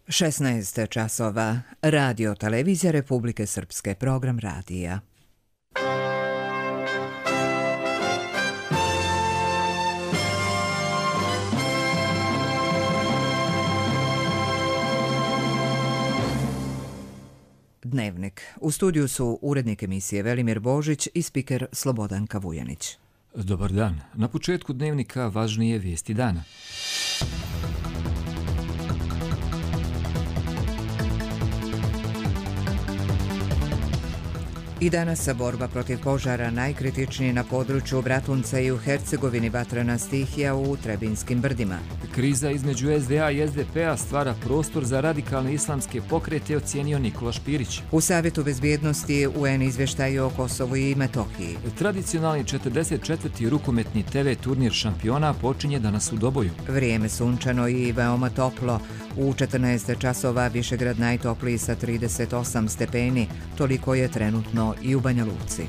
16 časova. Radio Televizija Republike Srpske, program radija. Dnevnik. U studiju su urednik emisije Velimir Božić i spiker Slobodanka Vujanić. Dobar dan. Na početku dnevnika važnije vijesti dana. I danas borba protiv požara najkritičniji na području Bratunca i u Hercegovini, vatrena stihija u Trebinskim brdima. Kriza između SDA i SDP-a stvara prostor za radikalne islamske pokrete, ocijenio Nikola Špirić. U Savjetu bezbjednosti UN izvještaj o Kosovu i Metohiji. Tradicionalni 44. rukometni TV turnir šampiona počinje danas u Doboju. Vrijeme sunčano i veoma toplo. U 14 časova Višegrad najtopliji sa 38 stepeni. Toliko je trenutno i u Banja Luci.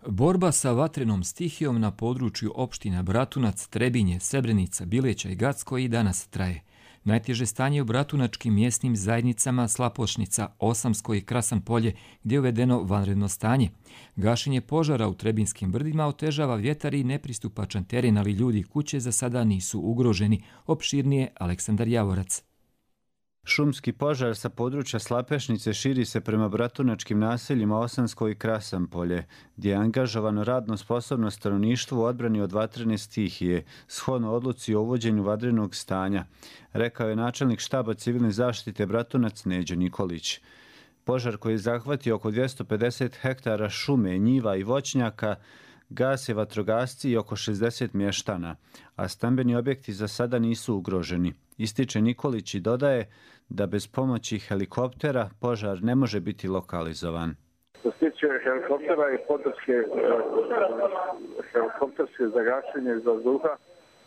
Borba sa vatrenom stihijom na području opština Bratunac, Trebinje, Srebrenica, Bileća i Gacko i danas traje. Najteže stanje u bratunačkim mjesnim zajednicama Slapošnica, Osamsko i Krasan Polje, gdje je uvedeno vanredno stanje. Gašenje požara u Trebinskim brdima otežava vjetar i nepristupačan teren, ali ljudi i kuće za sada nisu ugroženi. Opširnije Aleksandar Javorac. Šumski požar sa područja Slapešnice širi se prema bratunačkim naseljima Osansko i Krasan Polje, gdje je angažovano radno sposobno stanovništvo u odbrani od vatrene stihije, shodno odluci o uvođenju vanrednog stanja, rekao je načelnik štaba civilne zaštite Bratunac Neđo Nikolić. Požar koji je zahvatio oko 250 hektara šume, njiva i voćnjaka, gase vatrogasci i oko 60 mještana, a stambeni objekti za sada nisu ugroženi. Ističe Nikolić i dodaje da bez pomoći helikoptera požar ne može biti lokalizovan. Što se tiče helikoptera i helikopterske zagašenje iz vazduha,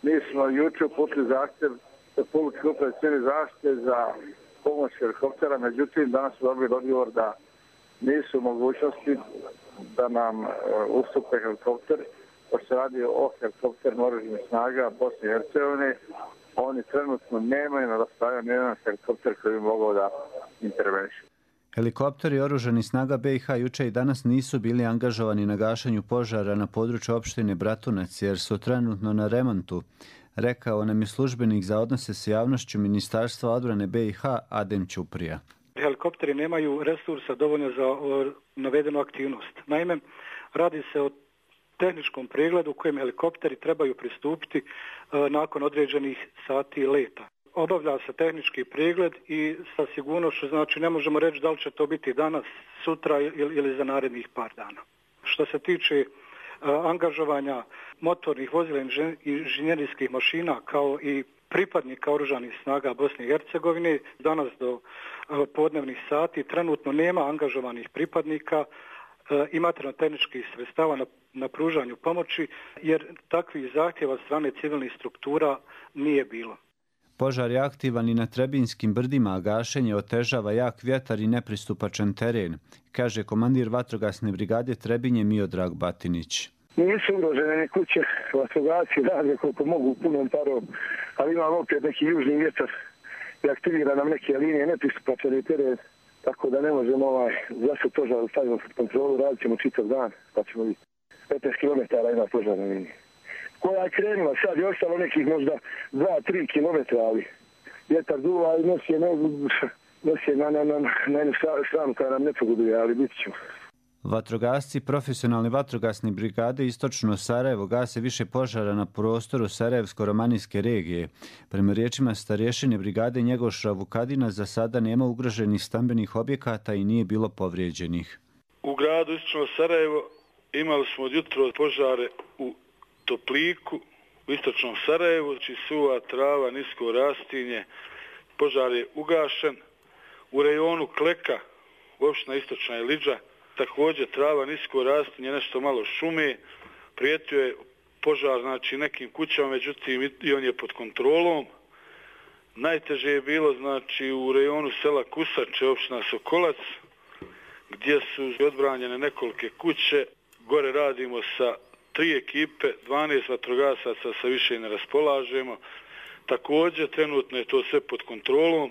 mi smo jučer uputili zahtjev Republičke uprave civilne zaštite za pomoć helikoptera, međutim danas smo dobili odgovor da nisu mogućnosti da nam ustupe helikopter, pošto se radi o helikopterima oružanih snaga Bosne i Hercegovine. Oni trenutno nemaju na raspolaganju jedan helikopter koji bi mogao da interveniše. Helikopteri oružanih snaga BiH juče i danas nisu bili angažovani na gašenju požara na području opštine Bratunac jer su trenutno na remontu, rekao nam je službenik za odnose s javnošću Ministarstva odbrane BiH Adem Ćuprija. Helikopteri nemaju resursa dovoljno za navedenu aktivnost. Naime, radi se o tehničkom pregledu kojem helikopteri trebaju pristupiti nakon određenih sati leta. Obavlja se tehnički pregled i sa sigurnošću, znači ne možemo reći da li će to biti danas, sutra ili za narednih par dana. Što se tiče angažovanja motornih vozila i inženjerijskih mašina kao i pripadnika oružanih snaga Bosne i Hercegovine, danas do podnevnih sati trenutno nema angažovanih pripadnika i materijalno-tehničkih sredstava na pružanju pomoći, jer takvih zahtjeva od strane civilnih struktura nije bilo. Požar je aktivan i na Trebinskim brdima, a gašenje otežava jak vjetar i nepristupačan teren, kaže komandir vatrogasne brigade Trebinje Miodrag Batinić. Nisu ugrožene ni kuće, vatrogasci rade koliko mogu punom parom, ali imamo opet neki južni vjetar i aktivira nam neke linije nepristupačan teren, tako da ne možemo zašto požar stavimo pod kontrolu, radit ćemo čitav dan, pa ćemo vidjeti. 15 km ima požarna linija. Koja je krenula, sad je ostalo nekih možda 2-3 km, ali vjetar duva i nosi je na jednu stranu koja nam ne pogoduje, ali bit ćemo. Vatrogasci profesionalne vatrogasne brigade Istočno Sarajevo gase više požara na prostoru Sarajevsko-romanijske regije. Prema riječima starješine brigade Njegoša Vukadina za sada nema ugroženih stambenih objekata i nije bilo povrijeđenih. U gradu Istočno Sarajevo imali smo od jutro požare u Topliku, u Istočnom Sarajevu, suva trava, nisko rastinje, požar je ugašen. U rejonu Kleka, opština Istočna Iliđa, također trava, nisko rastinje, nešto malo šume, prijetio je požar nekim kućama, međutim i on je pod kontrolom. Najteže je bilo u rejonu sela Kusače, opština Sokolac, gdje su odbranjene nekolike kuće. Gore radimo sa 3 ekipe, 12 vatrogasaca sa više ne raspolažemo. Također, trenutno je to sve pod kontrolom.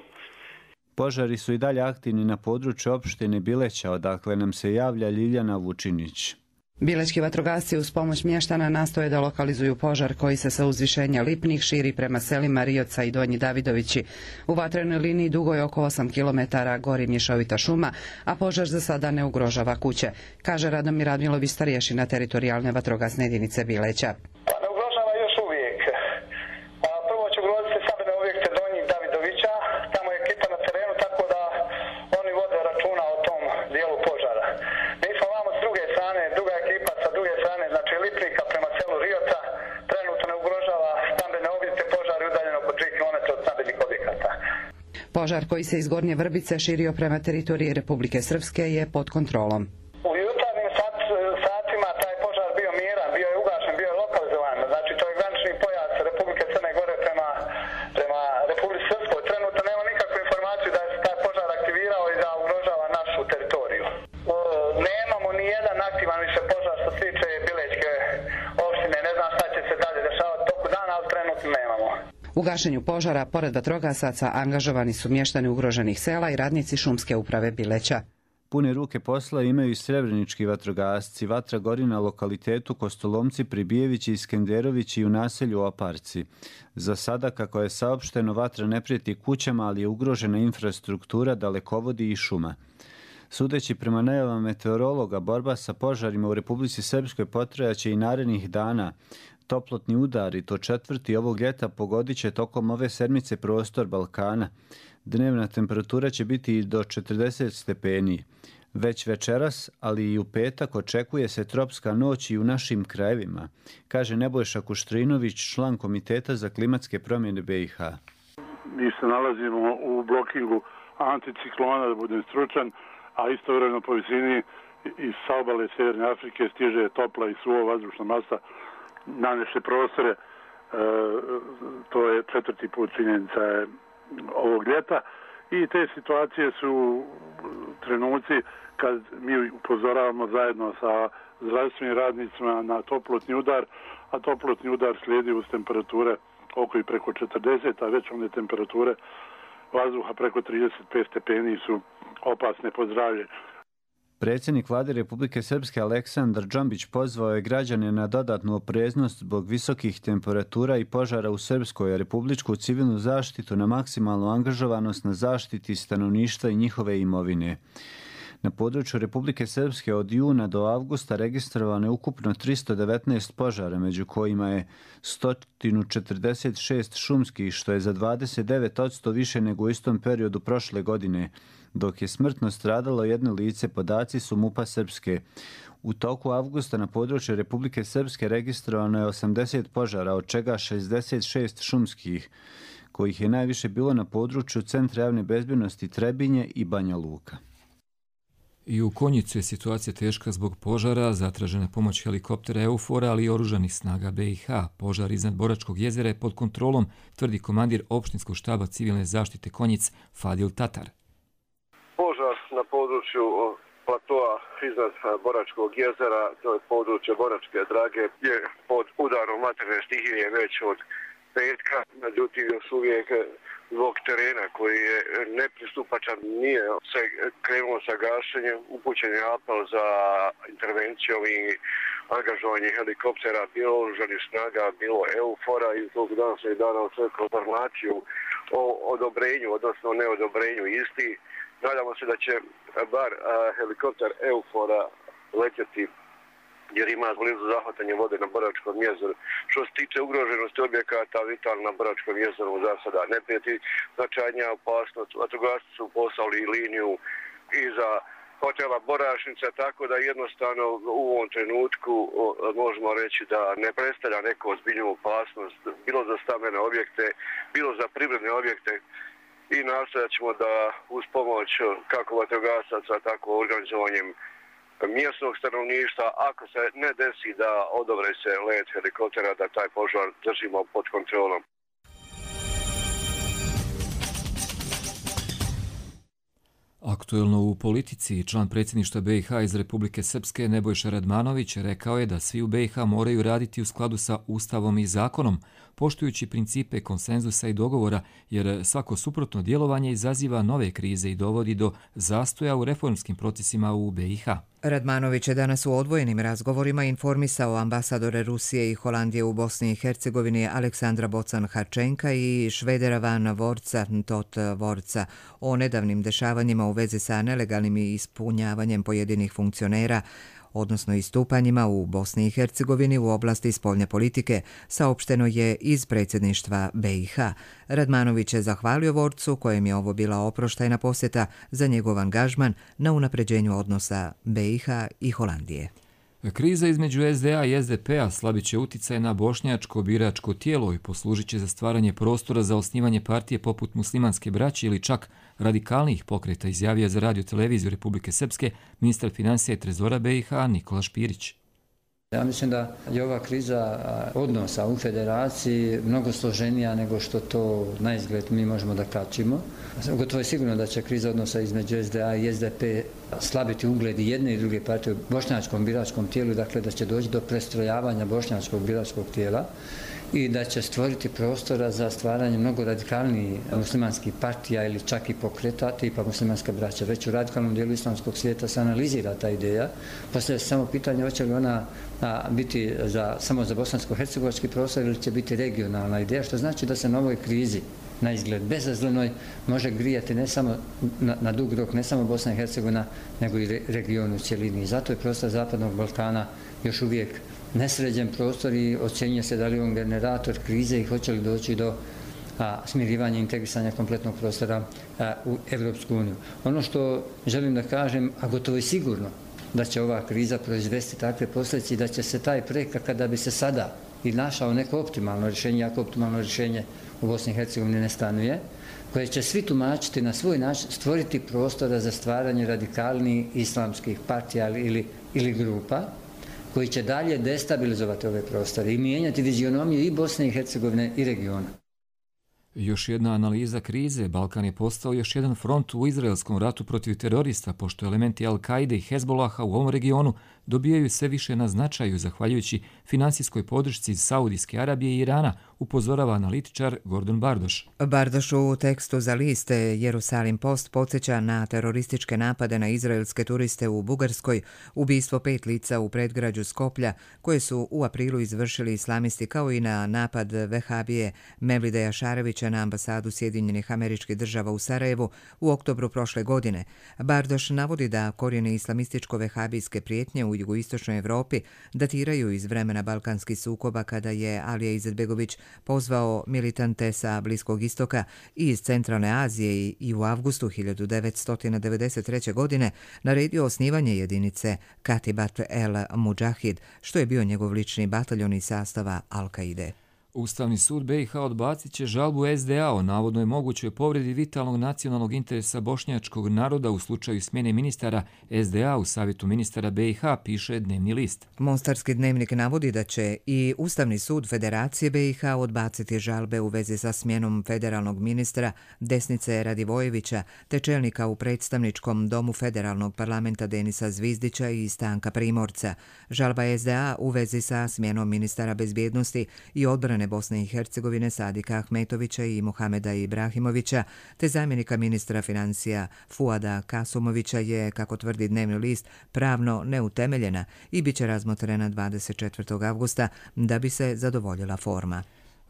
Požari su i dalje aktivni na području opštine Bileća, odakle nam se javlja Ljiljana Vučinić. Bilećki vatrogasci uz pomoć mještana nastoje da lokalizuju požar koji se sa uzvišenja Lipnih širi prema selima Rioca i Donji Davidovići. U vatrenoj liniji dugo je oko 8 km gori mješovita šuma, a požar za sada ne ugrožava kuće, kaže Radomir Radmilović, starješina teritorijalne vatrogasne jedinice Bileća. Ne ugrožava još uvijek. Prvo će ugroziti stambene objekte Donjih Davidovića, tamo je ekipa na terenu, tako da oni vode računa o tom dijelu požara. Mi smo vamo s druge strane, druga ekipa sa druge strane, znači Lipnika prema selu Rioca, trenutno ne ugrožava stambene objekte, požar je udaljen oko 3 km od stambenih objekata. Požar koji se iz Gornje Vrbice širio prema teritoriji Republike Srpske je pod kontrolom. U jutarnjim satima taj požar bio miran, bio je ugašen, bio je lokalizovan, znači to je granični pojas Republike Crne Gore prema Republike Srpskoj. Trenutno nema nikakvu informaciju da se taj požar aktivirao i da ugrožava našu teritoriju. Nemamo ni jedan aktivan više požar što se tiče Bilećke opštine, ne znam šta će se dalje dešavati toku dana, ali trenutno nemamo. U gašenju požara, pored vatrogasaca, angažovani su mještani ugroženih sela i radnici šumske uprave Bileća. Pune ruke posla imaju i srebrenički vatrogasci. Vatra gori na lokalitetu Kostolomci, Pribijevići i Skenderovići i u naselju Oparci. Za sada, kako je saopšteno, vatra ne prijeti kućama, ali je ugrožena infrastruktura, dalekovodi i šuma. Sudeći prema najavama meteorologa, borba sa požarima u Republici Srpskoj potrajaće i narednih dana. Toplotni udari, to četvrti ovog ljeta, pogodit će tokom ove sedmice prostor Balkana. Dnevna temperatura će biti i do 40 stepeni. Već večeras, ali i u petak, očekuje se tropska noć i u našim krajevima, kaže Nebojša Kuštrinović, član Komiteta za klimatske promjene BiH. Mi se nalazimo u blokingu anticiklona, da budem stručan, a istovremeno po visini iz obale Sjeverne Afrike stiže topla i suva vazdušna masa na naše prostore. To je 4. put činjenica ovog ljeta i te situacije su trenuci kad mi upozoravamo zajedno sa zdravstvenim radnicima na toplotni udar, a toplotni udar slijedi uz temperature oko i preko 40, a već one temperature vazduha preko 35 stepeni su opasne po zdravlje. Predsjednik Vlade Republike Srpske Aleksandar Džombić pozvao je građane na dodatnu opreznost zbog visokih temperatura i požara u Srpskoj, a republičku civilnu zaštitu na maksimalnu angažovanost na zaštiti stanovništva i njihove imovine. Na području Republike Srpske od juna do avgusta registrovano je ukupno 319 požara, među kojima je 146 šumskih, što je za 29% više nego u istom periodu prošle godine, dok je smrtno stradalo jedno lice, podaci su MUP-a Srpske. U toku avgusta na području Republike Srpske registrovano je 80 požara, od čega 66 šumskih, kojih je najviše bilo na području Centra javne bezbjednosti Trebinje i Banja Luka. I u Konjicu je situacija teška zbog požara, zatražena pomoć helikoptera EUFOR-a, ali i oružanih snaga BiH. Požar iznad Boračkog jezera je pod kontrolom, tvrdi komandir opštinskog štaba civilne zaštite Konjic Fadil Tatar. Požar na području platoa iznad Boračkog jezera, to je područje Boračke Drage, je pod udarom vatrene stihije već od petka, međutim još uvijek zbog terena koji je nepristupačan, nije se krenulo sa gašenjem, upućen je apel za intervencijom i angažovanje helikoptera, bilo oružanih snaga, bilo EUFOR-a i zbog danas je dana očekao informaciju o odobrenju, odnosno neodobrenju isti. Nadamo se da će bar helikopter EUFOR-a letjeti jer ima blizu zahvatanje vode na Boračkom jezeru. Što se tiče ugroženosti objekata, vitalno na Boračkom jezeru za sada ne prijeti značajnija opasnost. Vatrogasci su poslali liniju iza hotela Borašnica, tako da jednostavno u ovom trenutku možemo reći da ne predstavlja neku ozbiljnu opasnost, bilo za stambene objekte, bilo za privredne objekte, i nastojat ćemo da uz pomoć kako vatrogasaca, tako organizovanjem mjesnog stanovništva, ako se ne desi da odobre se let helikoptera, da taj požar držimo pod kontrolom. Aktuelno u politici, član predsjedništva BiH iz Republike Srpske Nebojša Radmanović rekao je da svi u BiH moraju raditi u skladu sa Ustavom i zakonom, poštujući principe konsenzusa i dogovora, jer svako suprotno djelovanje izaziva nove krize i dovodi do zastoja u reformskim procesima u BiH. Radmanović je danas u odvojenim razgovorima informisao ambasadore Rusije i Holandije u Bosni i Hercegovini Aleksandra Bocan-Harčenka i Švedera Van Vorca Tot Vorca o nedavnim dešavanjima u vezi sa nelegalnim ispunjavanjem pojedinih funkcionera, odnosno istupanjima u Bosni i Hercegovini u oblasti spoljne politike, saopšteno je iz predsjedništva BiH. Radmanović je zahvalio Vorcu, kojem je ovo bila oproštajna posjeta, za njegov angažman na unapređenju odnosa BiH i Holandije. Kriza između SDA i SDP-a slabit će utjecaj na bošnjačko biračko tijelo i poslužit će za stvaranje prostora za osnivanje partije poput Muslimanske braće ili čak radikalnijih pokreta, izjavio za Radio televiziju Republike Srpske ministar financija i trezora BiH Nikola Špirić. Ja mislim da je ova kriza odnosa u federaciji mnogo složenija nego što to na izgled mi možemo da kačimo. Gotovo je sigurno da će kriza odnosa između SDA i SDP slabiti ugled i jedne i druge partije u bošnjačkom biračkom tijelu, dakle da će doći do prestrojavanja bošnjačkog biračkog tijela i da će stvoriti prostora za stvaranje mnogo radikalnijih muslimanskih partija ili čak i pokreta tipa Muslimanska braća. Već u radikalnom dijelu islamskog svijeta se analizira ta ideja. Postavlja se samo pitanje hoće li ona biti samo za bosansko-hercegovački prostor ili će biti regionalna ideja, što znači da se na ovoj krizi na izgled bezazlenoj može grijati ne samo na dug rok, ne samo Bosna i Hercegovina, nego i region u cjelini. I zato je prostor Zapadnog Balkana još uvijek nesređen prostor i ocjenjuje se da li on generator krize i hoće li doći do smirivanja i integrisanja kompletnog prostora u Evropsku uniju. Ono što želim da kažem, a gotovo je sigurno da će ova kriza proizvesti takve posljedice i da će se taj projekt, kada bi se sada i našao neko optimalno rješenje, jako optimalno rješenje u Bosni i Hercegovini ne stanuje, koje će svi tumačiti na svoj način, stvoriti prostora za stvaranje radikalnih islamskih partija ili grupa, koji će dalje destabilizovati ove prostore i mijenjati vizionomiju i Bosne i Hercegovine i regiona. Još jedna analiza krize. Balkan je postao još jedan front u izraelskom ratu protiv terorista, pošto elementi Al-Kaide i Hezbolaha u ovom regionu dobijaju sve više na značaju zahvaljujući finansijskoj podršci iz Saudijske Arabije i Irana, upozorava analitičar Gordon Bardoš. Bardoš u tekstu za list Jerusalim Post podsjeća na terorističke napade na izraelske turiste u Bugarskoj, ubistvo 5 lica u predgrađu Skoplja, koje su u aprilu izvršili islamisti, kao i na napad Vehabije Mevlideja Šarevića na ambasadu Sjedinjenih Američkih Država u Sarajevu u oktobru prošle godine. Bardoš navodi da korijene islamističko-vehabijske prijetnje u jugoistočnoj Evropi datiraju iz vremena balkanskih sukoba, kada je Alija Izetbegović pozvao militante sa Bliskog istoka i iz Centralne Azije i u avgustu 1993. godine naredio osnivanje jedinice Katibat el Mujahid, što je bio njegov lični bataljon iz sastava Al-Kaide. Ustavni sud BiH odbacit će žalbu SDA o navodnoj mogućoj povredi vitalnog nacionalnog interesa bošnjačkog naroda u slučaju smjene ministara SDA u Savjetu ministara BiH, piše Dnevni list. Mostarski dnevnik navodi da će i Ustavni sud Federacije BiH odbaciti žalbe u vezi sa smjenom federalnog ministra Desnice Radivojevića te čelnika u predstavničkom domu federalnog parlamenta Denisa Zvizdića i Stanka Primorca. Žalba SDA u vezi sa smjenom ministara bezbjednosti i odbrane Bosne i Hercegovine Sadika Ahmetovića i Muhameda Ibrahimovića te zamjenika ministra financija Fuada Kasumovića je, kako tvrdi Dnevni list, pravno neutemeljena i bit će razmotrena 24. avgusta da bi se zadovoljila forma.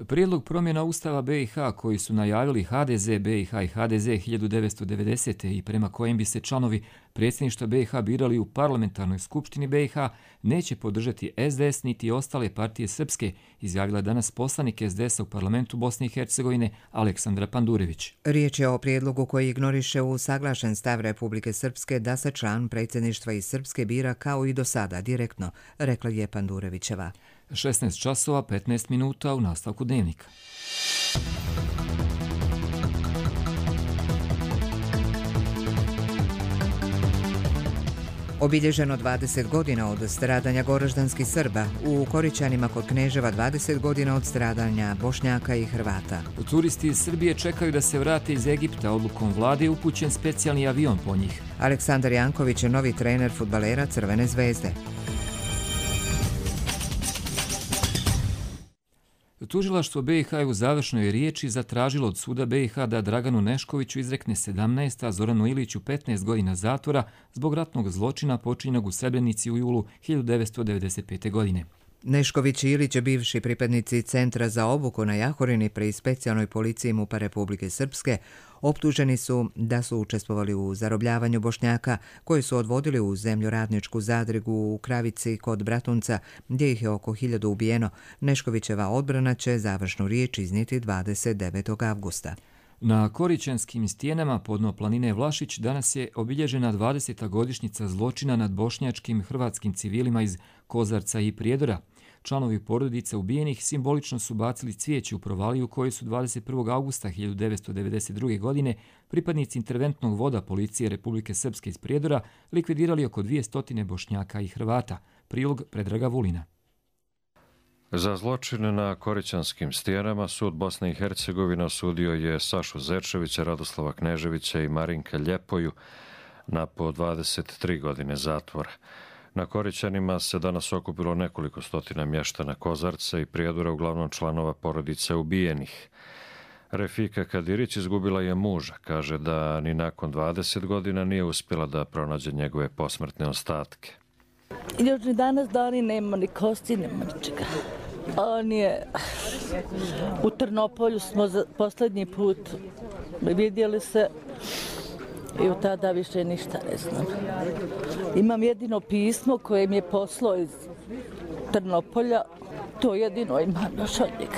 Prijedlog promjena Ustava BiH koji su najavili HDZ BiH i HDZ 1990. i prema kojem bi se članovi predsjedništva BiH birali u parlamentarnoj skupštini BiH neće podržati SDS niti ostale partije srpske, izjavila danas poslanik SDS-a u parlamentu Bosne i Hercegovine Aleksandra Pandurević. Riječ je o prijedlogu koji ignoriše usaglašen stav Republike Srpske da se član predsjedništva iz Srpske bira kao i do sada direktno, rekla je Pandurevićeva. 16 časova 15 minuta u nastavku Dnevnika. Obilježeno 20 godina od stradanja goraždanskih Srba, u Korićanima kod Kneževa 20 godina od stradanja Bošnjaka i Hrvata. Turisti iz Srbije čekaju da se vrate iz Egipta. Odlukom vlade je upućen specijalni avion po njih. Aleksandar Janković je novi trener fudbalera Crvene zvezde. Tužilaštvo BiH je u završnoj riječi zatražilo od suda BiH da Draganu Neškoviću izrekne 17, a Zoranu Iliću 15 godina zatvora zbog ratnog zločina počinjenog u Srebrenici u julu 1995. godine. Nešković i Ilić, bivši pripadnici Centra za obuku na Jahorini pri specijalnoj policiji MUP-a Republike Srpske, optuženi su da su učestvovali u zarobljavanju Bošnjaka koji su odvodili u zemljoradničku zadrugu u Kravici kod Bratunca, gdje ih je oko 1000 ubijeno. Neškovićeva odbrana će završnu riječ iznijeti 29. avgusta. Na Korićanskim stijenama podno planine Vlašić danas je obilježena 20. godišnjica zločina nad bošnjačkim hrvatskim civilima iz Kozarca i Prijedora. Članovi porodice ubijenih simbolično su bacili cvijeće u provaliju u kojoj su 21. augusta 1992. godine pripadnici interventnog voda policije Republike Srpske iz Prijedora likvidirali oko 200 Bošnjaka i Hrvata. Prilog Predraga Vulina. Za zločine na Korićanskim stijenama sud Bosne i Hercegovine osudio je Sašu Zečevića, Radoslava Kneževića i Marinka Ljepoju na po 23 godine zatvora. Na Korićanima se danas okupilo nekoliko stotina mještana Kozarca i Prijedora, uglavnom članova porodice ubijenih. Refika Kadirić izgubila je muža. Kaže da ni nakon 20 godina nije uspjela da pronađe njegove posmrtne ostatke. Još ni danas dani nema ni kosti, nema ničega. On je... U Trnopolju smo posljednji put vidjeli se i od tada više ništa ne znam. Imam jedino pismo koje mi je poslao iz Trnopolja. To jedino imam još od njega.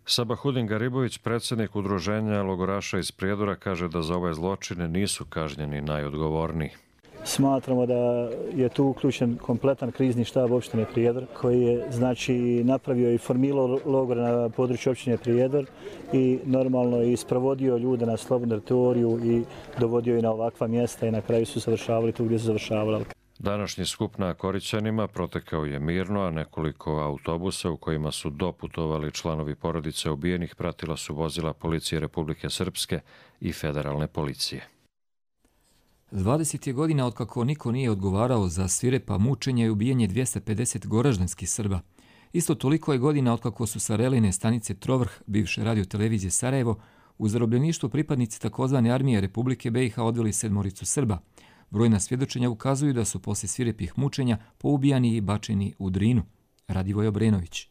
Sabahudin Garibović, predsjednik udruženja logoraša iz Prijedora, kaže da za ove zločine nisu kažnjeni najodgovorniji. Smatramo da je tu uključen kompletan krizni štab opštine Prijedor koji je napravio i formilao logor na području opštine Prijedor i normalno i sprovodio ljude na slobodnu teritoriju i dovodio i na ovakva mjesta i na kraju su završavali tu gdje su završavali. Današnji skup na Korićanima protekao je mirno, a nekoliko autobusa u kojima su doputovali članovi porodice ubijenih pratila su vozila policije Republike Srpske i federalne policije. 20 je godina otkako niko nije odgovarao za svirepa mučenja i ubijanje 250 goraždanskih Srba. Isto toliko je godina otkako su sa reline stanice Trovrh, bivše radiotelevizije Sarajevo, u zarobljeništvu pripadnici takozvane armije Republike BiH odveli 7 Srba. Brojna svjedočenja ukazuju da su poslije svirepih mučenja poubijani i bačeni u Drinu. Radivoj Obrenović.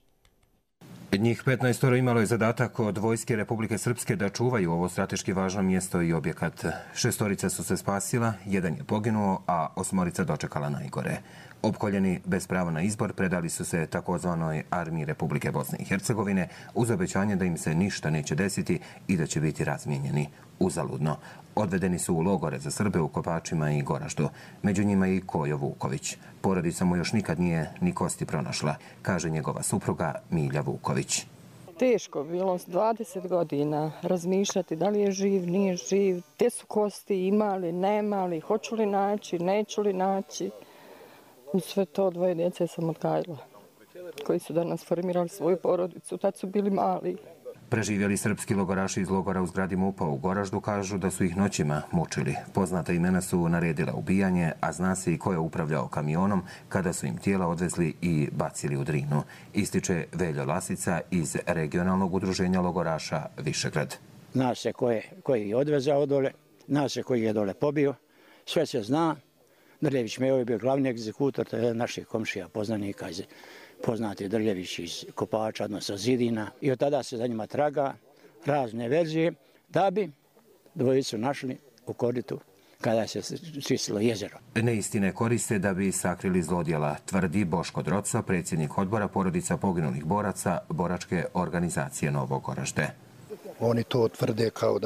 Njih 15 imalo je zadatak od vojske Republike Srpske da čuvaju ovo strateški važno mjesto i objekat. 6 su se spasila, 1 je poginuo, a 8 dočekala najgore. Opkoljeni bez prava na izbor predali su se takozvanoj armiji Republike Bosne i Hercegovine uz obećanje da im se ništa neće desiti i da će biti razmijenjeni. Uzaludno. Odvedeni su u logore za Srbe u Kopačima i Goraždu. Među njima i Kojo Vuković. Porodica mu još nikad nije ni kosti pronašla, kaže njegova supruga Milja Vuković. Teško bilo 20 godina razmišljati da li je živ, nije živ, te su kosti imali, nemali, hoću li naći, neću li naći. U sve to 2 djece sam odgajila, koji su danas formirali svoju porodicu, tad su bili mali. Preživjeli srpski logoraši iz logora u zgradi MUP-a u Goraždu kažu da su ih noćima mučili. Poznata imena su naredila ubijanje, a zna se i ko je upravljao kamionom kada su im tijela odvezli i bacili u Drinu. Ističe Veljo Lasica iz regionalnog udruženja logoraša Višegrad. Zna se ko je odvezao dole, zna se koji je dole pobio, sve se zna. Drljević Mejo je bio glavni egzekutor, to je naših komšija poznanika iz poznati Drljević iz Kopača, odnosno Zidina. I od tada se za njima traga razne verzije da bi dvojicu našli u koritu kada se čistilo jezero. Neistine koriste da bi sakrili zlodjela, tvrdi Boško Droco, predsjednik odbora porodica poginulih boraca Boračke organizacije Novo Goražde. Oni to tvrde kao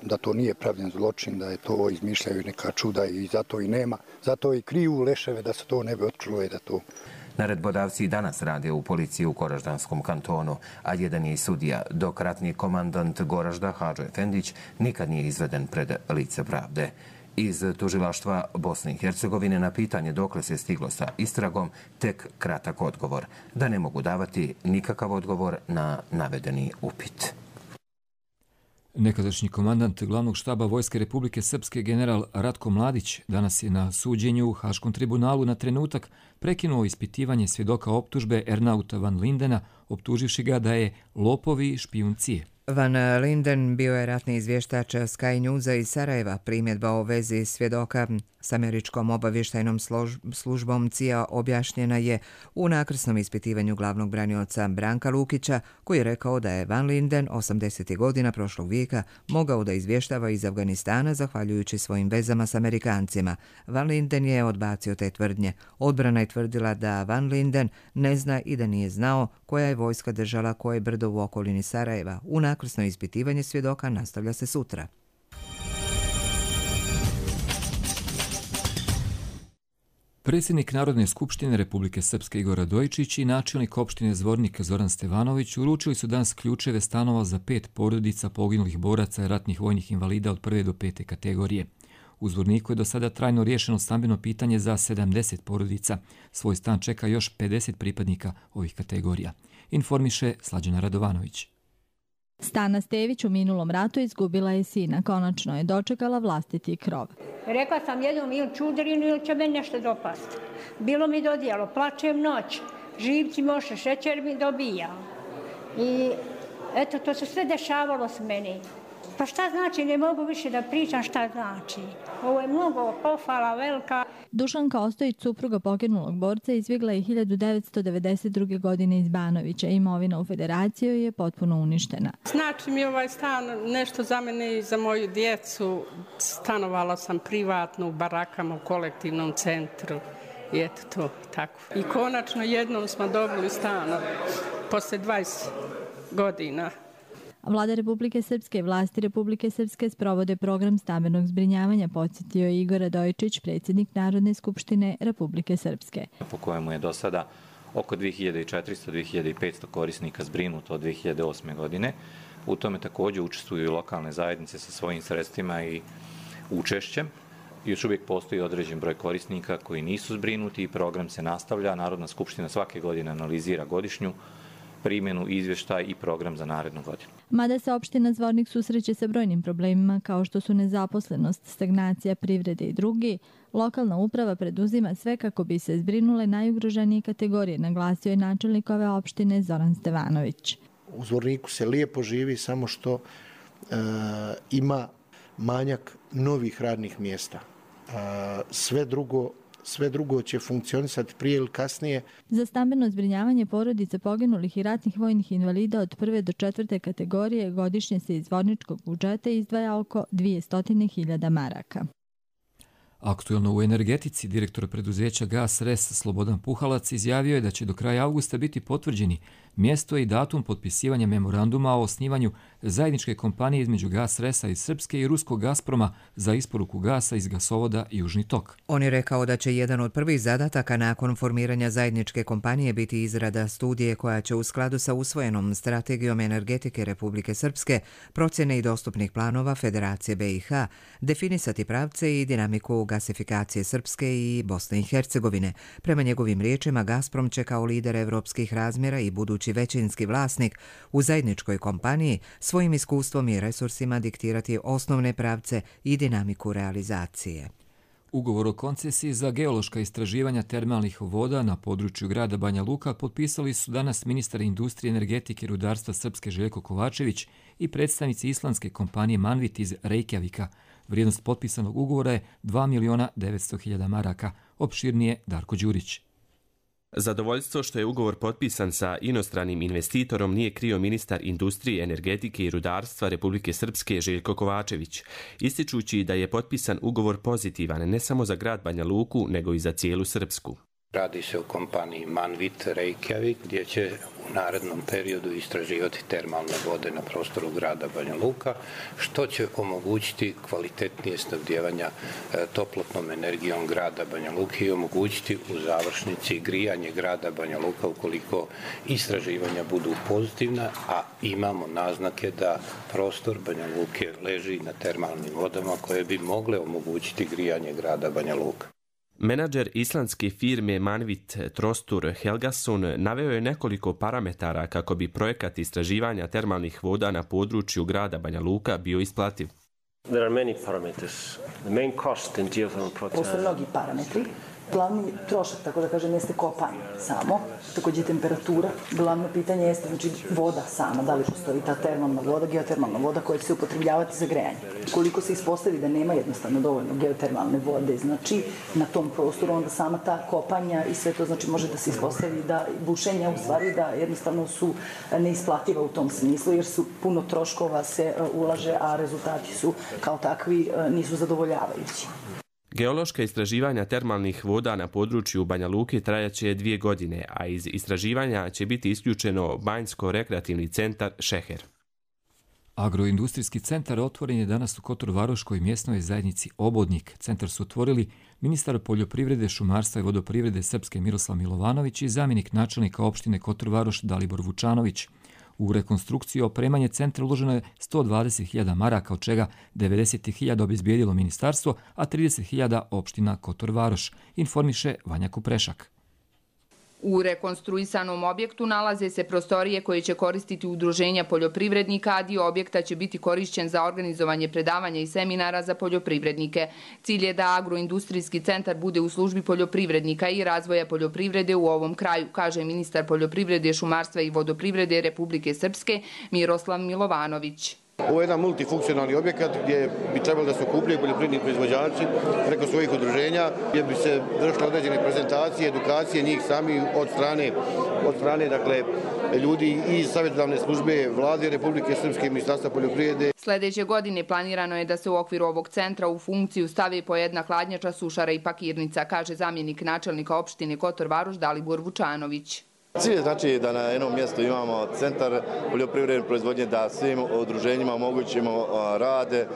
da to nije pravljen zločin, da je to izmišljaju neka čuda i zato i nema. Zato i kriju leševe da se to ne bi otkrilo i da to... Naredbodavci i danas rade u policiji u Goraždanskom kantonu, a jedan je i sudija, dok ratni komandant Goražda Hadžo Efendić nikad nije izveden pred lice pravde. Iz tužilaštva Bosne i Hercegovine na pitanje dokle se stiglo sa istragom, tek kratak odgovor, da ne mogu davati nikakav odgovor na navedeni upit. Nekadašnji komandant glavnog štaba Vojske Republike Srpske general Ratko Mladić danas je na suđenju u Haškom tribunalu na trenutak prekinuo ispitivanje svjedoka optužbe Ernauta van Lindena, optuživši ga da je lopov i špijun CIA. Van Linden bio je ratni izvještač Sky Newsa iz Sarajeva. Primjedba o vezi svjedoka s američkom obavještajnom službom CIA objašnjena je u nakrsnom ispitivanju glavnog branioca Branka Lukića, koji je rekao da je Van Linden 80. godina prošlog vijeka mogao da izvještava iz Afganistana zahvaljujući svojim vezama s Amerikancima. Van Linden je odbacio te tvrdnje. Odbrana je tvrdila da Van Linden ne zna i da nije znao koja je vojska držala koje brdo u okolini Sarajeva. U nakrsno ispitivanje svjedoka nastavlja se sutra. Predsjednik Narodne skupštine Republike Srpske Igor Radojičić i načelnik opštine Zvornik Zoran Stevanović uručili su danas ključeve stanova za 5 porodica poginulih boraca i ratnih vojnih invalida od 1. do 5. kategorije. U Zvorniku je do sada trajno riješeno stambeno pitanje za 70 porodica. Svoj stan čeka još 50 pripadnika ovih kategorija. Informiše Slađana Radovanović. Stana Stević u minulom ratu izgubila je sina. Konačno je dočekala vlastiti krov. Rekla sam jednom ili čudarinu ili će meni nešto dopasti. Bilo mi dodijelo, plačem noć, živci moše, šećer mi dobija. I eto, to se sve dešavalo s meni. Pa šta znači, ne mogu više da pričam šta znači. Ovo je mnogo pohvala velika. Dušanka Ostojić, supruga poginulog borca, izbjegla je 1992. godine iz Banovića. Imovina u Federaciji je potpuno uništena. Znači mi ovaj stan nešto za mene i za moju djecu. Stanovala sam privatno u barakama u kolektivnom centru. I eto to, tako. I konačno jednom smo dobili stan posle 20 godina. Vlada Republike Srpske i vlasti Republike Srpske sprovode program stambenog zbrinjavanja, podsjetio je Igor Radojičić, predsjednik Narodne skupštine Republike Srpske. Po kojemu je do sada oko 2400-2500 korisnika zbrinuto od 2008. godine. U tome također učestvuju i lokalne zajednice sa svojim sredstvima i učešćem. Još uvijek postoji određen broj korisnika koji nisu zbrinuti i program se nastavlja. Narodna skupština svake godine analizira godišnju primjenu, izvještaj i program za narednu godinu. Mada se opština Zvornik susreće sa brojnim problemima kao što su nezaposlenost, stagnacija privrede i drugi, lokalna uprava preduzima sve kako bi se zbrinule najugroženije kategorije, naglasio je načelnik ove opštine Zoran Stevanović. U Zvorniku se lijepo živi, samo što ima manjak novih radnih mjesta. Sve drugo će funkcionisati prije ili kasnije. Za stambeno zbrinjavanje porodice poginulih i ratnih vojnih invalida od 1. do 4. kategorije godišnje se iz zvorničkog budžeta izdvaja oko 200.000 maraka. Aktuelno u energetici direktor preduzeća Gas Res Slobodan Puhalac izjavio je da će do kraja avgusta biti potvrđeni mjesto i datum potpisivanja memoranduma o osnivanju zajedničke kompanije između Gas Resa iz Srpske i ruskog Gazproma za isporuku gasa iz gasovoda Južni tok. On je rekao da će jedan od prvih zadataka nakon formiranja zajedničke kompanije biti izrada studije koja će u skladu sa usvojenom strategijom energetike Republike Srpske, procjene i dostupnih planova Federacije BiH, definisati pravce i dinamiku gasifikacije Srpske i Bosne i Hercegovine. Prema njegovim riječima, Gazprom će kao lider evropskih razmjera i budući većinski vlasnik u zajedničkoj kompaniji svojim iskustvom i resursima diktirati osnovne pravce i dinamiku realizacije. Ugovor o koncesiji za geološka istraživanja termalnih voda na području grada Banja Luka potpisali su danas ministar industrije, energetike i rudarstva Srpske Željko Kovačević i predstavnici islandske kompanije Manvit iz Reykjavika. Vrijednost potpisanog ugovora je 2.900.000 maraka. Opširnije Darko Đurić. Zadovoljstvo što je ugovor potpisan sa inostranim investitorom nije krio ministar industrije, energetike i rudarstva Republike Srpske Željko Kovačević, ističući da je potpisan ugovor pozitivan ne samo za grad Banja Luku, nego i za cijelu Srpsku. Radi se o kompaniji Manvit Reykjavik gdje će u narednom periodu istraživati termalne vode na prostoru grada Banja Luka, što će omogućiti kvalitetnije snabdijevanja toplotnom energijom grada Banja Luke i omogućiti u završnici grijanje grada Banja Luka ukoliko istraživanja budu pozitivna, a imamo naznake da prostor Banja Luke leži na termalnim vodama koje bi mogle omogućiti grijanje grada Banja Luka. Menadžer islandske firme Manvit Trostur Helgason naveo je nekoliko parametara kako bi projekat istraživanja termalnih voda na području grada Banja Luka bio isplativ. Postoje mnogi parametri. Glavni trošak, tako da kažem, jeste kopanje samo, također temperatura. Glavno pitanje jeste znači, voda sama, da li postoji ta termalna voda, geotermalna voda koja će se upotrebljavati za grejanje. Koliko se ispostavi da nema jednostavno dovoljno geotermalne vode, znači na tom prostoru, onda sama ta kopanja i sve to znači može da se ispostavi da bušenja u stvari da jednostavno su neisplativa u tom smislu jer su puno troškova se ulaže, a rezultati su kao takvi nisu zadovoljavajući. Geološka istraživanja termalnih voda na području Banja Luke trajaće 2 godine, a iz istraživanja će biti isključeno Banjsko-rekreativni centar Šeher. Agroindustrijski centar otvoren je danas u Kotor-Varoškoj mjesnoj zajednici Obodnik. Centar su otvorili ministar poljoprivrede, šumarstva i vodoprivrede Srpske Miroslav Milovanović i zamjenik načelnika opštine Kotor-Varoš Dalibor Vučanović. U rekonstrukciju i opremanje centra uloženo je 120.000 maraka, od čega 90.000 obezbijedilo ministarstvo, a 30.000 opština Kotor-Varoš, informiše Vanja Kuprešak. U rekonstruisanom objektu nalaze se prostorije koje će koristiti udruženja poljoprivrednika, a dio objekta će biti korišćen za organizovanje predavanja i seminara za poljoprivrednike. Cilj je da agroindustrijski centar bude u službi poljoprivrednika i razvoja poljoprivrede u ovom kraju, kaže ministar poljoprivrede, šumarstva i vodoprivrede Republike Srpske Miroslav Milovanović. Ovo je jedan multifunkcionalni objekat gdje bi trebalo da se okupljaju poljoprivredni proizvođači preko svojih udruženja, gdje bi se vršile određene prezentacije, edukacije njih sami od strane dakle, ljudi iz savjetodavne službe Vlade Republike Srpske, Ministarstva poljoprivrede. Sljedeće godine planirano je da se u okviru ovog centra u funkciju stavi po jedna hladnjača, sušara i pakirnica, kaže zamjenik načelnika opštine Kotor-Varoš Dalibor Vučanović. Cilj je znači da na jednom mjestu imamo centar poljoprivredne proizvodnje, da svim udruženjima omogućimo rade,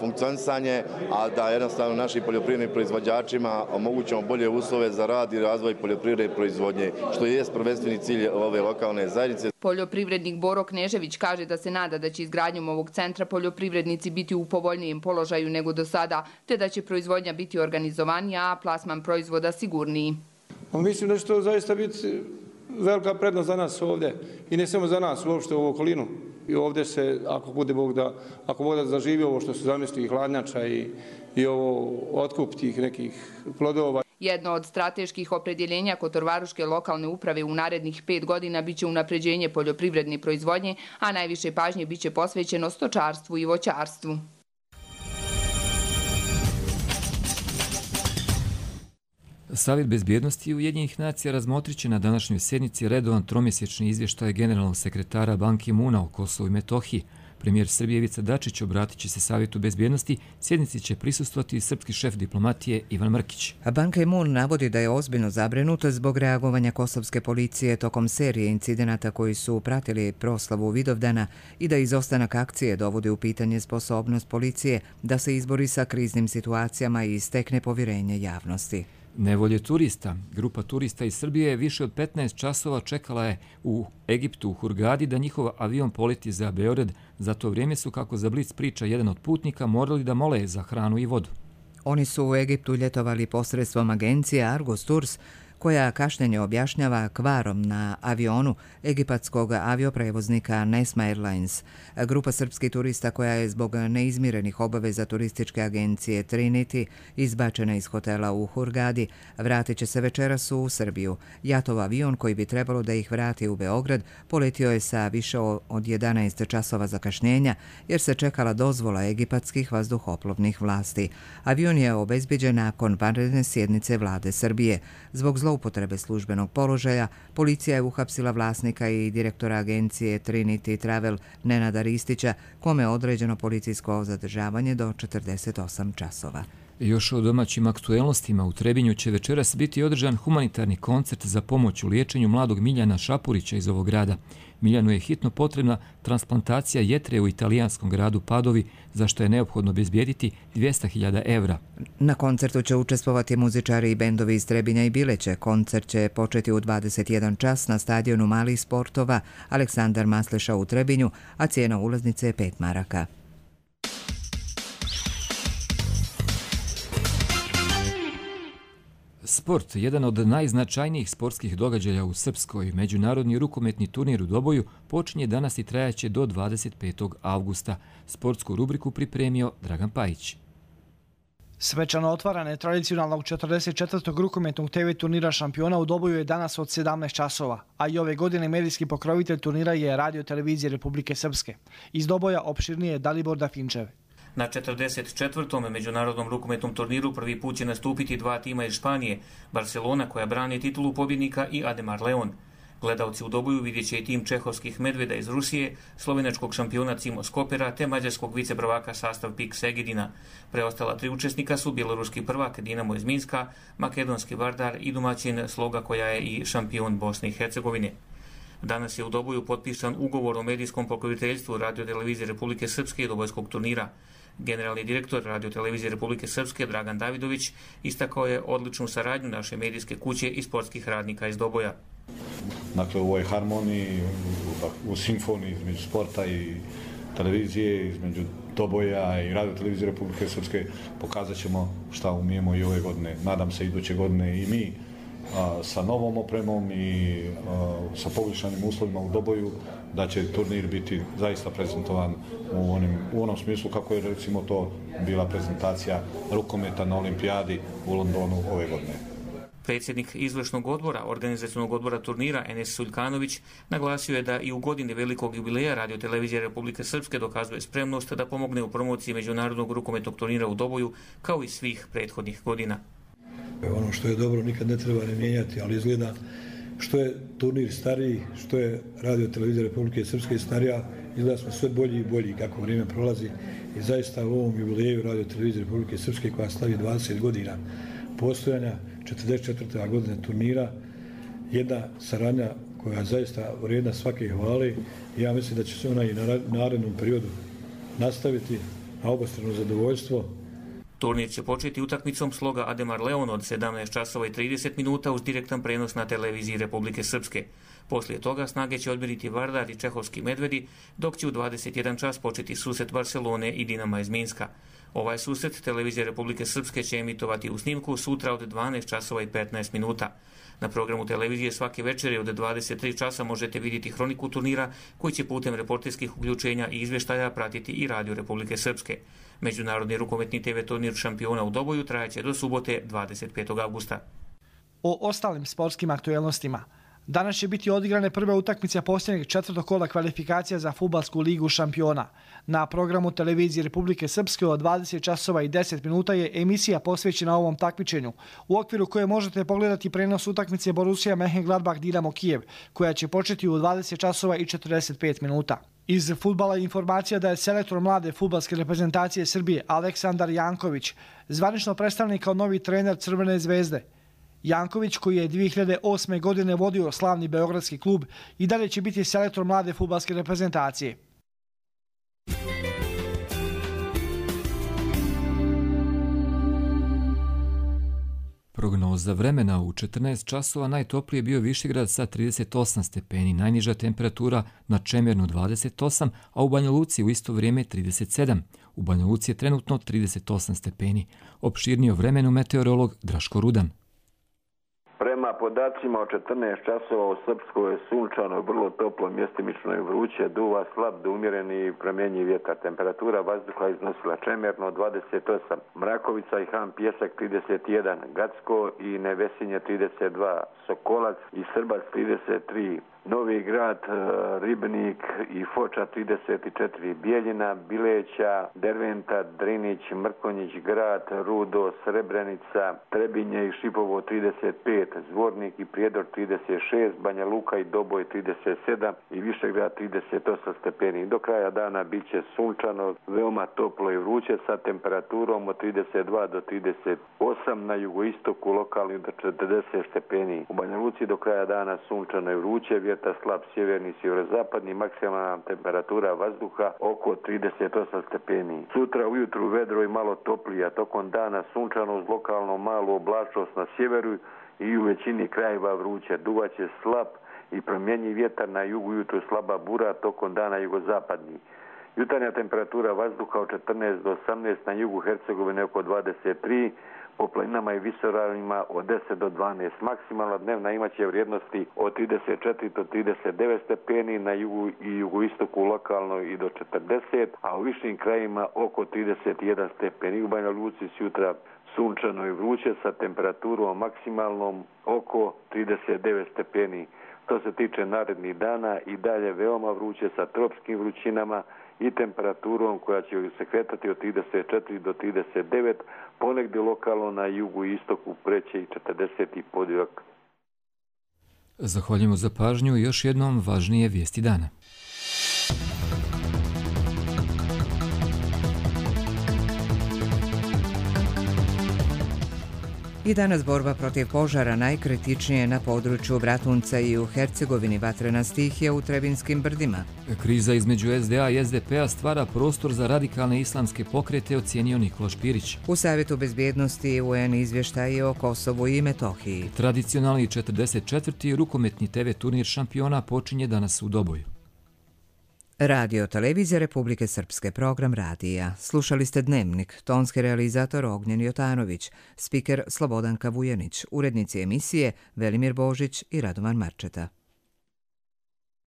funkcionisanje, a da jednostavno našim poljoprivrednim proizvođačima omogućimo bolje uslove za rad i razvoj poljoprivredne proizvodnje, što je prvenstveni cilj ove lokalne zajednice. Poljoprivrednik Boro Knežević kaže da se nada da će izgradnjom ovog centra poljoprivrednici biti u povoljnijem položaju nego do sada, te da će proizvodnja biti organizovanija, a plasman proizvoda sigurniji. Mislim da će to zaista biti velika prednost za nas ovdje i ne samo za nas, uopšte u okolinu. I ovdje se, ako Bog da zaživi ovo što su zamislili hladnjača i ovo otkup tih nekih plodova. Jedno od strateških opredjeljenja Kotor-Varoške lokalne uprave u narednih 5 godina biće unapređenje poljoprivredne proizvodnje, a najviše pažnje biće posvećeno stočarstvu i voćarstvu. Savjet bezbjednosti Ujedinjenih nacija razmotrit će na današnjoj sjednici redovan tromjesečni izvještaj generalnog sekretara Ban Ki-moona o Kosovu i Metohiji. Premijer Srbije Ivica Dačić obratit će se Savjetu bezbjednosti, sjednici će prisustvovati i srpski šef diplomatije Ivan Mrkić. Ban Ki-moon navodi da je ozbiljno zabrinut zbog reagovanja kosovske policije tokom serije incidenata koji su pratili proslavu Vidovdana i da izostanak akcije dovodi u pitanje sposobnost policije da se izbori sa kriznim situacijama i stekne povjerenje javnosti. Nevolje turista. Grupa turista iz Srbije više od 15 časova čekala je u Egiptu, u Hurgadi, da njihov avion poleti za Beograd. Za to vrijeme su, kako za Blic priča jedan od putnika, morali da mole za hranu i vodu. Oni su u Egiptu ljetovali posredstvom agencije Argos Tours, koja kašnjenje objašnjava kvarom na avionu egipatskog avioprevoznika Nesma Airlines. Grupa srpskih turista koja je zbog neizmirenih obaveza turističke agencije Trinity izbačena iz hotela u Hurgadi vratit će se večeras u Srbiju. Jatov avion koji bi trebalo da ih vrati u Beograd poletio je sa više od 11 časova zakašnjenja jer se čekala dozvola egipatskih vazduhoplovnih vlasti. Avion je obezbeđen nakon vanredne sjednice vlade Srbije. Zbog zloupotrebe službenog položaja, policija je uhapsila vlasnika i direktora agencije Trinity Travel Nenada Ristića, kome je određeno policijsko zadržavanje do 48 časova. Još o domaćim aktuelnostima u Trebinju će večeras biti održan humanitarni koncert za pomoć u liječenju mladog Miljana Šapurića iz ovog grada. Miljanu je hitno potrebna transplantacija jetre u italijanskom gradu Padovi, za što je neophodno obezbijediti 200.000 evra. Na koncertu će učestvovati muzičari i bendovi iz Trebinja i Bileće. Koncert će početi u 21 čas na stadionu malih sportova Aleksandar Masleša u Trebinju, a cijena ulaznice je 5 maraka. Sport, jedan od najznačajnijih sportskih događaja u Srpskoj, međunarodni rukometni turnir u Doboju, počinje danas i trajaće do 25. avgusta. Sportsku rubriku pripremio Dragan Pajić. Svečano otvaranje tradicionalnog 44. rukometnog TV turnira šampiona u Doboju je danas od 17 časova, a i ove godine medijski pokrovitelj turnira je Radio televizije Republike Srpske. Iz Doboja opširnije je Dalibor Dafinčev. Na 44. međunarodnom rukometnom turniru prvi put će nastupiti dva tima iz Španije, Barcelona koja brani titulu pobjednika i Ademar Leon. Gledalci u Doboju vidjet će i tim čehovskih medveda iz Rusije, slovenačkog šampiona Cimo Skopera te mađarskog viceprvaka sastav PIK Segedina. Preostala tri učesnika su bjeloruski prvak Dinamo iz Minska, makedonski Vardar i domaćin Sloga koja je i šampion Bosne i Hercegovine. Danas je u Doboju potpisan ugovor o medijskom pokroviteljstvu Radio televizije Republike Srpske i Dobojskog turnira. Generalni direktor Radio televizije Republike Srpske Dragan Davidović istakao je odličnu saradnju naše medijske kuće i sportskih radnika iz Doboja. Dakle, u ovoj harmoniji, u simfoniji između sporta i televizije, između Doboja i Radio televizije Republike Srpske pokazat ćemo šta umijemo i ove godine. Nadam se iduće godine i mi sa novom opremom i sa poboljšanim uslovima u Doboju, da će turnir biti zaista prezentovan u onom smislu kako je recimo to bila prezentacija rukometa na olimpijadi u Londonu ove godine. Predsjednik izvršnog odbora, organizacionog odbora turnira Enes Suljkanović naglasio je da i u godini velikog jubileja Radio televizije Republike Srpske dokazuje spremnost da pomogne u promociji međunarodnog rukometnog turnira u Doboju kao i svih prethodnih godina. Ono što je dobro nikad ne treba ne mijenjati, ali izgleda što je turnir stariji, što je Radio televizija Republike Srpske starija, izgleda smo sve bolji i bolji kako vrijeme prolazi i zaista u ovom jubileju Radio televizije Republike Srpske koja slavi 20 godina postojanja, 44. godine turnira, jedna saradnja koja je zaista vrijedna svake hvale i ja mislim da će se ona i na narednom periodu nastaviti na obostrano zadovoljstvo. Turnir će početi utakmicom Sloga Ademar Leon od 17 časova i 30 minuta uz direktan prenos na televiziji Republike Srpske. Poslije toga snage će odmjeriti Vardar i čehovski medvedi, dok će u 21 čas početi susret Barcelone i Dinama iz Minska. Ovaj susret televizija Republike Srpske će emitovati u snimku sutra od 12 časova i 15 minuta. Na programu televizije svake večeri od 23 časa možete vidjeti hroniku turnira koji će putem reporterskih uključenja i izvještaja pratiti i Radio Republike Srpske. Međunarodni rukometni TV turnir šampiona u Doboju trajaće do subote 25. avgusta. O ostalim sportskim aktuelnostima. Danas će biti odigrane prve utakmice posljednjeg četvrtog kola kvalifikacija za fudbalsku ligu šampiona. Na programu televizije Republike Srpske od 20 časova i 10 minuta je emisija posvećena ovom takmičenju, u okviru koje možete pogledati prenos utakmice Borussia Mönchengladbach Dinamo Kijev, koja će početi u 20 časova i 45 minuta. Iz fudbala je informacija da je selektor mlade fudbalske reprezentacije Srbije Aleksandar Janković zvanično predstavljen kao novi trener Crvene zvezde. Janković, koji je 2008. godine vodio slavni beogradski klub, i dalje će biti selektor mlade fudbalske reprezentacije. Prognoza vremena: u 14 časova najtoplije bio Višegrad sa 38 stepeni, najniža temperatura na Čemernu 28, a u Banja Luci u isto vrijeme 37. U Banja Luci je trenutno 38 stepeni. Opširnije o vremenu meteorolog Draško Rudan. Prema podacima od 14 časova u Srpskoj je sunčano, vrlo toplo, mjestimično i vruće, duva slab do umjereni i promjenjiv vjetar. Temperatura vazduha iznosila Čemerno 28, Mrakovica i Han Pjesak 31, Gacko i Nevesinje 32, Sokolac i Srbac 33, Novi Grad, Ribnik i Foča 34, Bijeljina, Bileća, Derventa, Drinić, Mrkonjić, Grad, Rudo, Srebrenica, Trebinje i Šipovo 35, Zvornik i Prijedor 36, Banja Luka i Doboj 37 i Višegrad 38 stepeni. Do kraja dana bit će sunčano, veoma toplo i vruće sa temperaturom od 32 do 38, na jugoistoku lokalni do 40 stepeni. U Banja Luci do kraja dana sunčano i vruće, vjetar slab sjeverni, sjeverozapadni, maksimalna temperatura vazduha oko 38 stepeni. Sutra ujutru vedro i malo toplija, tokom dana sunčano uz lokalno malu oblačnost na sjeveru i u većini krajeva vruće. Duvaće slab i promjenjiv vjetar, na jugu ujutru slaba bura, tokom dana jugozapadni. Jutarnja temperatura vazduha od 14 do 18, na jugu Hercegovine oko 23, po planinama i visoravnima od 10 do 12. Maksimalna dnevna imaće vrijednosti od 34 do 39 stepeni, na jugu i jugoistoku lokalno i do 40, a u višim krajima oko 31 stepeni. U Banja Luci sutra sunčano i vruće sa temperaturom maksimalnom oko 39 stepeni. Što se tiče narednih dana, i dalje veoma vruće sa tropskim vrućinama i temperaturom koja će se kretati od 34 do 39, ponegdje lokalno na jugu i istoku preće i 40 podivak. Zahvaljujemo za pažnju i još jednom važnije vijesti dana. I danas borba protiv požara najkritičnije na području Bratunca i u Hercegovini, vatrena stihija u Trebinskim brdima. Kriza između SDA i SDP-a stvara prostor za radikalne islamske pokrete, ocijenio Nikola Špirić. U Savjetu bezbjednosti UN izvještaje o Kosovu i Metohiji. Tradicionalni 44. rukometni TV turnir šampiona počinje danas u Doboju. Radio Televizija Republike Srpske, program radija. Slušali ste Dnevnik, tonski realizator Ognjen Jotanović, spiker Slobodanka Vujanić, urednici emisije Velimir Božić i Radovan Marčeta.